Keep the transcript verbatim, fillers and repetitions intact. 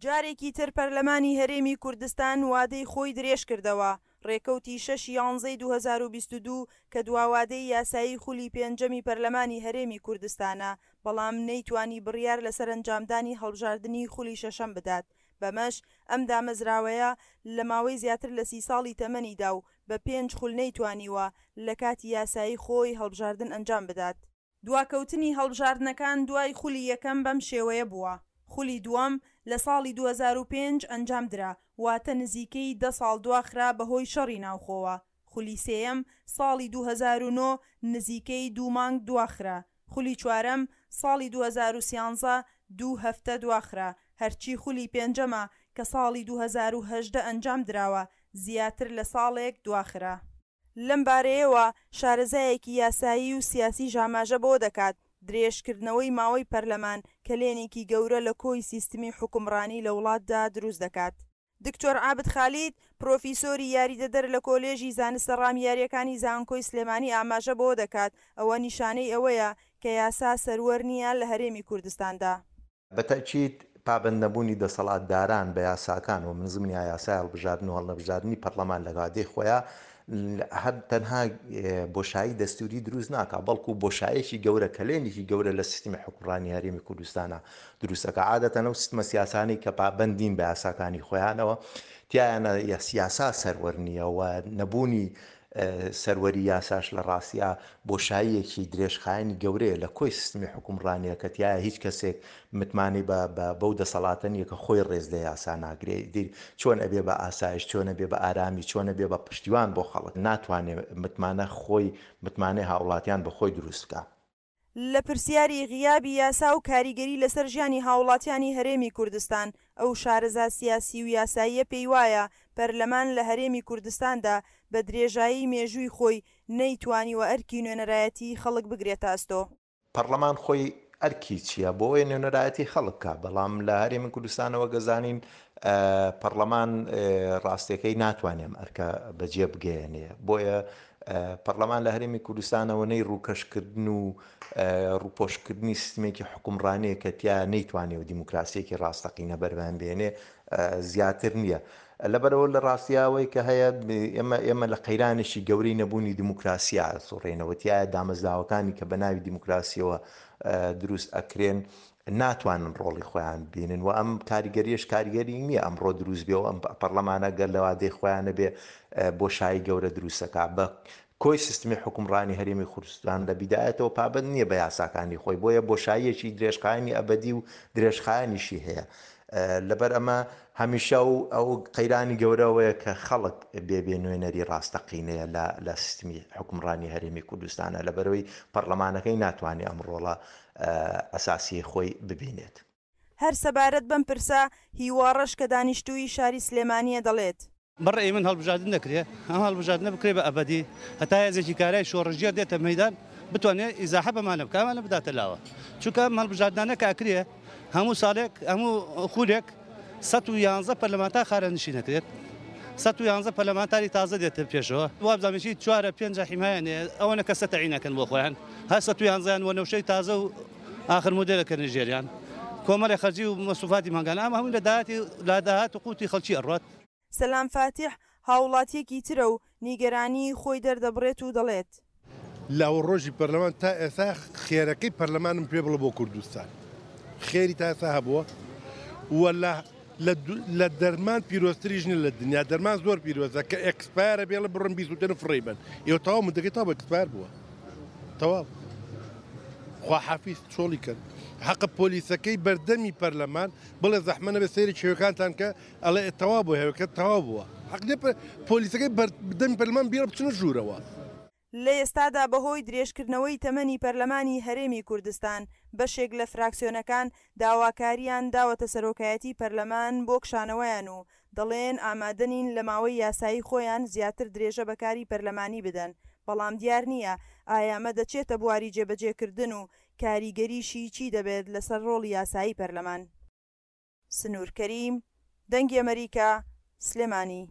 جارێکی تر پەرلەمانی هەرێمی کوردستان وادەی خۆی درێژکردەوە، ڕێکەوتی شەش یانزەی دوو هەزار و بیست و دوو کە دواوادەی یاسایی خولی پێنجەمی پەرلەمانی هەرێمی کوردستانە، بەڵام نەیتوانی بڕیار لەسەر ئەنجامدانی هەڵبژاردنی خولی شەشەم بدات، بەمەش ئەم دامەزراوەیە لە ماوەی زیاتر لە سی ساڵی تەمەنیدا و بە پێنج خول نەیتوانیوە لە کاتی یاسایی خۆی هەڵبژاردن ئەنجام بدات. دواکەوتنی هەڵبژاردنەکان دوای خولی یەکەم بەم شێوەیە بووە، خولی دووەم لە ساڵی دوو هەزار و پێنج ئەنجامدرا، واتە نزیکەی دە ساڵ دواخرا بەهۆی شەڕی ناوخۆوە. خولی سێیەم ساڵی دوو هەزار و نۆ نزیکەی دوو مانگ دواخرا. خولی چوارەم ساڵی دوو هەزار و سیانزە دوو هەفتە دواخرا. هەرچی خولی پێنجەمە کە ساڵی دوو هەزار و هەژدە ئەنجام دراوە زیاتر لە ساڵێک دواخرا. لەم بارەیەوە شارەزایەکی یاسایی و سیاسی ژاماژە بۆ دەکات، درێژکردنەوەی ماوەی پەرلەمان کەلێنێکی گەورە لە کۆی سیستمی حوکمڕانی لە وڵاتدا دروست دەکات. دکتۆر عابد خالید، پرۆفیسۆری یاریدەدەر لە کۆلێژی زانستە ڕامیاریەکانی زانکۆی سلێمانی ئاماژە بۆ دەکات، ئەوە نیشانەی ئەوەیە کە یاسا سەروەر نییە لە هەرێمی کوردستاندا. بە تەئکید پابەند نەبوونی دەسەڵاتداران بە یاساکان و من زمنی یاسای هەڵبژاردن و هەڵنەبژاردنی پەرلەمان لە وادەی خۆیان هەر تەنها بۆشایی دەستوری دروست ناکا، بەڵکو بۆشایەکی گەورە، کەلێنێکی گەورە لە سیستمی حکومڕانی هەرێمی کوردستانە دروستەکە. عادەتەن ئەو سیستمە سیاسانەی کە پابەندین بە یاساکانی خۆیانەوە تیایانە یاسا سەروەر نییە و نەبوونی سەروەری یاساش لە ڕاستیا بۆشاییەکی درێژخایەنی گەورەیە لە کۆی سیستمی حکومڕانیە کە تیایە هیچ کەسێک متمانەی بەو دەسەڵاتە نییە کە خۆی ڕێز لە یاسا ناگرێ. چۆن ئەبێ بە ئاسایش، چۆن ئەبێ بە ئارامی، چۆن ئەبێ بە پشتیوان بۆ خەڵک، ناتوانێت متمانە خۆی متمانەی هاوڵاتیان بە خۆی دروست بکە. لە پرسیاری غیابی یاسا و کاریگەری لەسەر ژیانی هاوڵاتیانی هەرێمی کوردستان، ئەو شارەزا سیاسی و یاساییە پێی وایە پەرلەمان لە هەرێمی کوردستاندا بە درێژایی مێژووی خۆی نەیتوانیوە ئەرکی نوێنەرایەتی خەڵک بگرێتە ئەستۆ. پەرلەمان خۆی ئەرکی چییە؟ بۆ ئەوەی نوێنەرایەتی خەڵک بکا، بەڵام لە هەرێمی کوردستانەوە گەزانین پەرلەمان ڕاستیەکەی ناتوانێت ئەم ئەرکە بەجێ بگەیەنێ. بۆیە پەرلەمان لە هەرێمی کوردستانەوە نەی ڕووکەشکردن و ڕووپۆشکردنی سیستمێکی حکومڕانیە کە تیا نەیتوانێت و دیموکراسیەکی ڕاستەقینە بەرهەم بێنێ زیاتر نییە. لەبەرەوە لە ڕاستیاوەی کە هەیە ئێمە ئێمە لە قەیرانێکی گەورەی نەبوونی دیموکراسیا سوڕێنەوە، تایە دامەزراوەکانی کە بە ناوی دیموکراسیەوە دروست ئەکرێن ناتوانن ڕۆڵی خۆیان ببینن و ئەم کاریگەریش کاریگەری نییە ئەمڕۆ دروست بێ و ئەم پەرلەمانە گەر لەوادەی خۆیانە بێ بۆشایی گەورە دروستەکە. بە کۆی سیستمی حکومڕانی هەرێمی کوردستان لە بیدایەتەوە پابەند نییە بە یاساکانی خۆی، بۆیە بۆشاییەکی درێژخایەنی ئەبەدی و درێژخایەنیشی هەیە. لەبەر ئەمە هەمیشە و ئەو قەیرانی گەورەوەیە کە خەڵک بێ بێ نوێنەری ڕاستەقینەیە لە سیستمی حکومڕانی هەرێمی کوردستانە، لەبەرەوەی پەرلەمانەکەی ناتوانێت ئەم ڕۆڵە ئەساسی خۆی ببینێت. هەر سەبارەت بەم پرسە هیواڕەش کە دانیشتووی شاری سلێمانیە دەڵێت: بەڕێی من هەڵبژاردن نەکرێ، ئەم هەڵبژاردنە بکرێ بە ئەبەدی هەتا هێزێکی کارای شۆڕشگێڕ دێتە مەیدان بتوانێت ئیزاحە بەمانە بکە، ئەمانە بداتە لاوە. چونکە ئەم هەڵبژاردنانە کە ئەکرێ هەموو ساڵێک هەموو خولێک سەد و یانزە پەرلەمانتار خارەنشی نەکرێت، سەد و یانزە پەرلەمانتاری تازە دێتە پێشەوە. وابزانم چی چوارە پێنجە حیمایەنێ ئەوەنە کەسە تەعینەکەن بۆ خۆیان، هەر سەد و یانزەیان وەنەوشەی تازە و ئاخر مۆدێلەکەنە ژێریان، کۆمەڵی خەرجی و مەسروفاتی مانگانە، ئەمە هەموو لە داهاتی لە داهات و قوتی خەڵکی ئەڕوات. سەلام فاتیح هاوڵاتیەکی ترە و نیگەرانی خۆی دەردەبڕێت و دەڵێت: لاوە ڕۆژی پەرلەمان تا ئێستا خێرەکەی پەرلەمانم پێ بڵێ بۆ کوردستان خێری تا ئێستا هەبووە و لە دەرمان پیرۆزتریش نییە لە دنیا. دەرمان زۆر پیرۆزە کە expire ە بێڵە بڕن بیسوتێن و فڕێی بن، ئێوە تەواو مدەکەی تەواو expire بووە، تەواو خواحافیز چۆڵی کرد. حەقە پۆلیسەکەی بەردەمی پەرلەمان بڵێ زەحمە نەبێ سەیری هێوەکانتان کە ئەڵێ تەواو بوو، هێوەکە تەواو بووە. حەق نییە پۆلیسەکەی بەردەمی پەرلەمان بیڵێ بچنە ژوورەوە. لە ئێستادا بەهۆی درێژکردنەوەی تەمەنی پەرلەمانی هەرێمی کوردستان بەشێک لە فراکسیۆنەکان داواکاریان داوەتە سەرۆکایەتی پەرلەمان بۆ کشانەوەیان و دەڵێن ئامادەنین لە ماوەی یاسایی خۆیان زیاتر درێژە بەکاری پەرلەمانی بدەن، بەڵام دیار نییە ئایا ئەمە دەچێتە بواری جێبەجێکردن و کاریگەریشی چی دەبێت لەسەر ڕۆڵی یاسایی پەرلەمان. سنوور کەریم، دەنگی ئەمریکا، سلێمانی.